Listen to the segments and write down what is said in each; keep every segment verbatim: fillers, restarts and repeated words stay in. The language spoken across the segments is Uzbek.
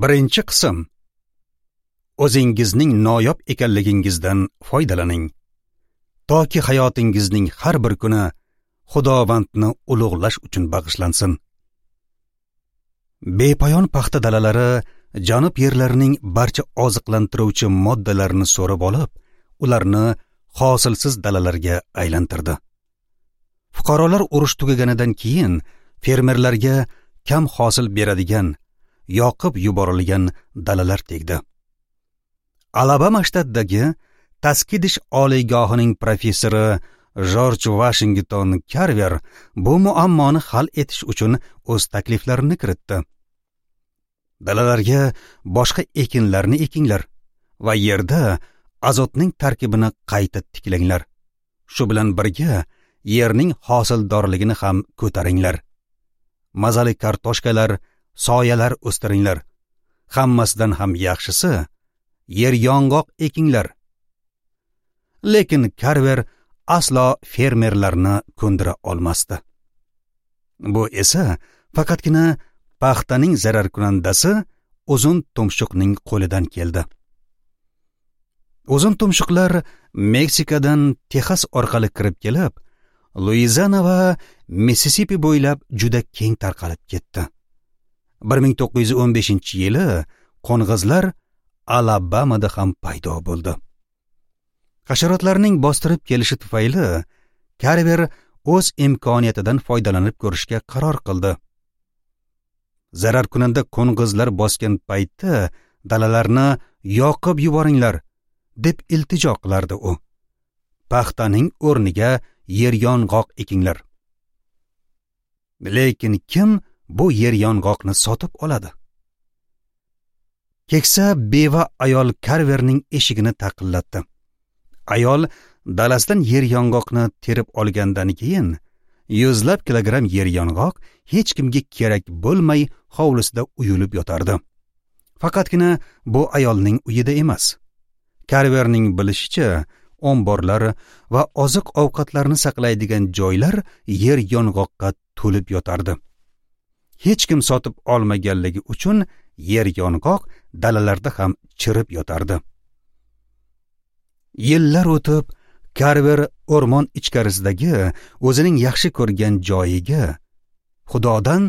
Birinchi qism. O'zingizning noyob ekanligingizdan foydalaning. Toki hayotingizning har bir kuni Xudovandni ulug'lash uchun bag'ishlansin. Bepoyon paxta dalalari janub yerlarining barcha oziqlantiruvchi moddalarini so'rib olib, ularni hosilsiz dalalarga aylantirdi. Fuqarolar urush tugaganidan keyin fermerlarga kam hosil beradigan, yoqib yuborilgan dalalar tegdi. Alabama shtatidagi Taskidish oliygohining professori Jorj Vashington Karver bu muammoni hal etish uchun o'z takliflarini kiritdi. Dalalarga boshqa ekinlarni ekinglar va yerda azotning tarkibini qayta tiklanglar. Shu bilan birga yerning hosildorligini ham ko'taringlar. Mazali kartoshkalar, soyalar o'stiringlar. Hammasidan ham yaxshisi, yer yong'oq ekinglar. Lekin Karver aslo fermerlarni ko'ndira olmasdi. Bu esa faqatgina paxtaning zararkunandasi uzun tumshuqning qo'lidan keldi. Uzun tumshuqlar Meksikadan Texas orqali kirib kelib, Luiziana va Mississippi bo'ylab juda keng tarqalib ketdi. bir ming to'qqiz yuz o'n beshinchi yili qo'ng'izlar Alabamada ham paydo bo'ldi. Hasharotlarning bostirib kelishi tufayli Karver o'z imkoniyatidan foydalanib ko'rishga qaror qildi. Zararkunanda qo'ng'izlar bosgan paytda dalalarni yoqib yuboringlar, deb iltijo qilardi u. Paxtaning o'rniga yer yong'oq ekinglar. Lekin kim bu yer yong'oqni sotib oladi? Keksa beva ayol Karverning eshigini taqillatdi. Ayol dalasidan yer yong'oqni terib olgandan keyin yuzlab kilogramm yer yong'oq hech kimga kerak bo'lmay hovlisida uyulib yotardi. Faqatgina bu ayolning uyida emas. Karverning bilishicha, omborlar va oziq-ovqatlarni saqlaydigan joylar yer yong'oqqa to'lib yotardi. Hech kim sotib olmaganligi uchun yer yong'oq dalalarda ham chirib yotardi. Yillar o'tib, Karver o'rmon ichkarisidagi o'zining yaxshi ko'rgan joyiga Xudodan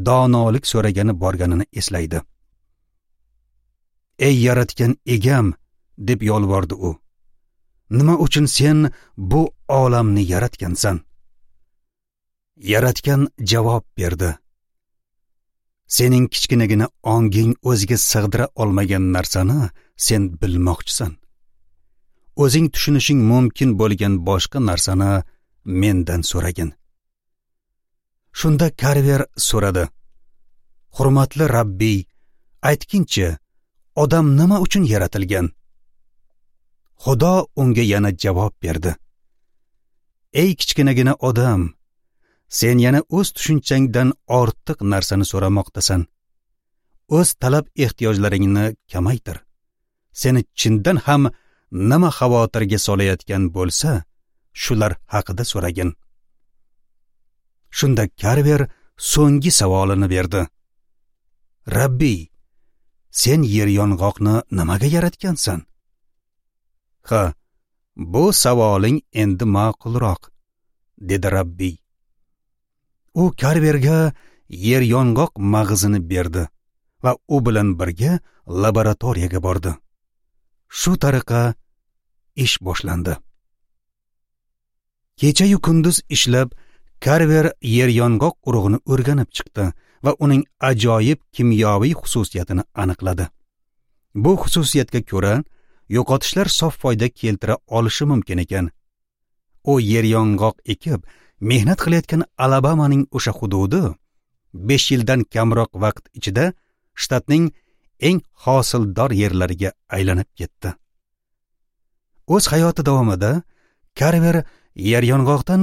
donolik so'ragani borganini eslaydi. Ey yaratgan egam, deb yolvordi u. Nima uchun sen bu olamni yaratgansan? Yaratgan javob berdi. Sening kichkinagina onging o'ziga sig'dira olmagan narsani sen bilmoqchisan. O'zing tushunishing mumkin bo'lgan boshqa narsani mendan so'ragin. Shunda Karver so'radi. Hurmatli Rabbiy, aytginchi, odam nima uchun yaratilgan? Xudo unga yana javob berdi. Ey kichkinagina odam, sen yana o'z tushunchangdan ortiq narsani so'ramoqdasan. O'z talab ehtiyojlaringni kamaytir. Seni chindan ham nima xavotirga solayotgan bo'lsa, shular haqida so'ragin. Shunda Karver so'nggi savolini berdi. Rabbiy, sen yer yong'oqni nimaga yaratgansan? Ha, bu savoling endi ma'qulroq, dedi Rabbiy. U Karverga yer yong'oq mag'zini berdi va u bilan birga laboratoriyaga bordi. Shu tariqa ish boshlandi. Kecha-yu kunduz ishlab, Karver yer yong'oq urug'ini o'rganib chiqdi va uning ajoyib kimyoviy xususiyatini aniqladi. Bu xususiyatga ko'ra, yo'qotishlar sof foyda keltira olishi mumkin ekan. U yer yong'oq ekib, mehnat qilayotgan Alabamaning o'sha hududi besh yildan kamroq vaqt ichida shtatning eng hosildor yerlariga aylanib ketdi. O'z hayoti davomida Karver yer yong'oqdan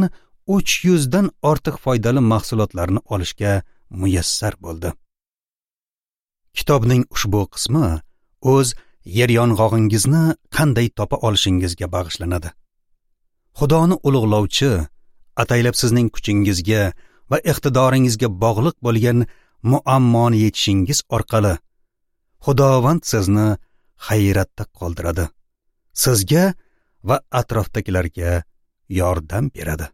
uch yuzdan ortiq foydali mahsulotlarni olishga muyassar bo'ldi. Kitobning ushbu qismi o'z yer yong'og'ingizni qanday topa olishingizga bag'ishlanadi. Xudoni ulug'lovchi, ataylab sizning kuchingizga va iqtidoringizga bog'liq bo'lgan muammoni yechishingiz orqali Xudovand sizni hayratda qoldiradi. Sizga va atrofdagilarga yordam beradi.